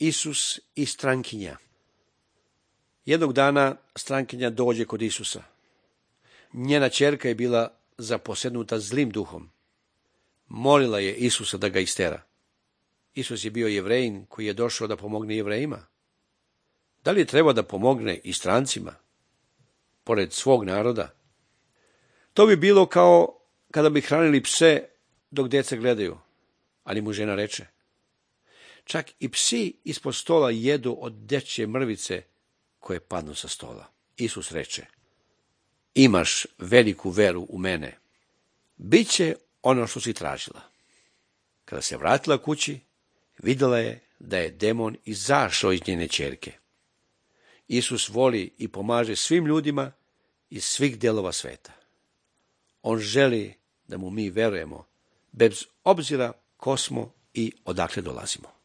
Isus i strankinja. Jednog dana strankinja dođe kod Isusa. Njena ćerka je bila zaposednuta zlim duhom. Molila je Isusa da ga istera. Isus je bio Jevrejin koji je došao da pomogne Jevrejima. Da li je trebao da pomogne i strancima, pored svog naroda? To bi bilo kao kada bi hranili pse dok deca gledaju, ali mu žena reče: čak i psi ispod stola jedu od dečje mrvice koje padnu sa stola. Isus reče: imaš veliku veru u mene. Biće ono što si tražila. Kada se vratila kući, vidjela je da je demon izašao iz njene ćerke. Isus voli i pomaže svim ljudima iz svih delova sveta. On želi da mu mi verujemo, bez obzira ko smo i odakle dolazimo.